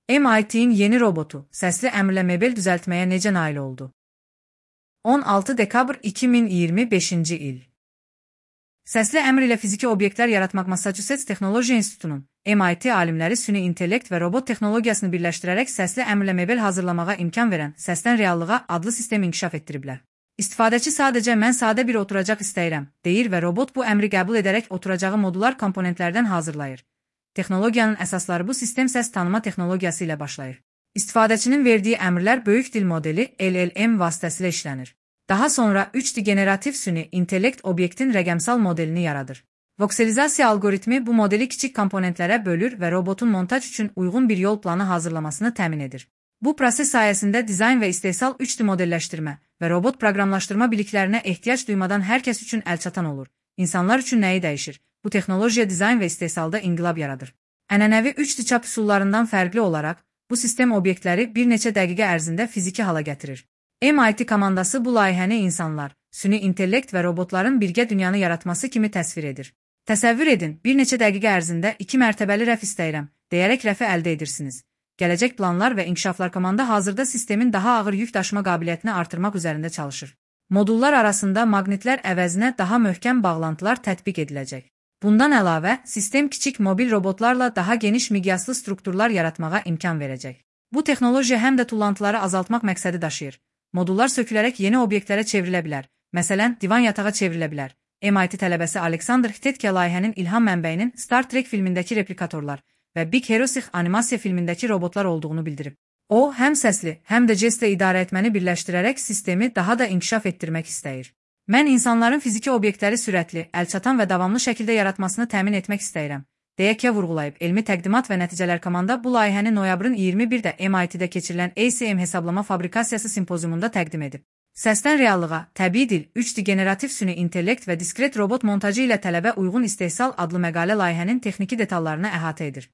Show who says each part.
Speaker 1: MIT'in yeni robotu, səsli əmrlə mebel düzəltməyə necə nail oldu? 16 dekabr 2025-ci il. Səsli əmr ilə fiziki obyektlər yaratmaq Massachusetts Texnologiya İnstitutunun, MIT alimləri süni intellekt və robot texnologiyasını birləşdirərək səsli əmrlə mebel hazırlamağa imkan verən səsdən reallığa adlı sistem inkişaf etdiriblər. İstifadəçi sadəcə mən sadə bir oturacaq istəyirəm, deyir və robot bu əmri qəbul edərək oturacağı modular komponentlərdən hazırlayır. Texnologiyanın əsasları bu sistem səs tanıma texnologiyası ilə başlayır. İstifadəçinin verdiyi əmrlər böyük dil modeli LLM vasitəsilə işlənir. Daha sonra 3D generativ süni intellekt obyektin rəqəmsal modelini yaradır. Vokselizasiya algoritmi bu modeli kiçik komponentlərə bölür və robotun montaj üçün uyğun bir yol planı hazırlamasını təmin edir. Bu proses sayəsində dizayn və istehsal 3D modelləşdirmə və robot proqramlaşdırma biliklərinə ehtiyac duymadan hər kəs üçün əlçatan olur. İnsanlar üçün nəyi dəyişir? Bu texnologiya dizayn və istehsalda inqilab yaradır. Ənənəvi 3D çap üsullarından fərqli olaraq, bu sistem obyektləri bir neçə dəqiqə ərzində fiziki hala gətirir. MIT komandası bu layihəni insanlar, süni intellekt və robotların birgə dünyanı yaratması kimi təsvir edir. Təsəvvür edin, bir neçə dəqiqə ərzində 2 mərtəbəli rəf istəyirəm, deyərək rəfi əldə edirsiniz. Gələcək planlar və inkişaflar komanda hazırda sistemin daha ağır yük daşıma qabiliyyətini artırmaq üzərində çalışır. Modullar arasında maqnitlər əvəzinə daha möhkəm bağlantılar tətbiq ediləcək. Bundan əlavə, sistem kiçik mobil robotlarla daha geniş miqyaslı strukturlar yaratmağa imkan verəcək. Bu texnologiya həm də tullantıları azaltmaq məqsədi daşıyır. Modullar sökülərək yeni obyektlərə çevrilə bilər. Məsələn, divan yatağa çevrilə bilər. MIT tələbəsi Alexander Htetke layihənin ilham mənbəyinin Star Trek filmindəki replikatorlar və Big Hero 6 animasiya filmindəki robotlar olduğunu bildirib. O, həm səsli, həm də jestlə idarə etməni birləşdirərək sistemi daha da inkişaf etdirmək istəyir. Mən insanların fiziki obyektləri sürətli, əlçatan və davamlı şəkildə yaratmasını təmin etmək istəyirəm, deyə Kya vurğulayıb. Elmi təqdimat və nəticələr komanda bu layihəni noyabrın 21-də MIT-də keçirilən ACM hesablama fabrikasiyası simpoziumunda təqdim edib. Səsdən reallığa, təbii dil, 3D generativ süni intellekt və diskret robot montajı ilə tələbə uyğun istehsal adlı məqalə layihənin texniki detallarını əhatə edir.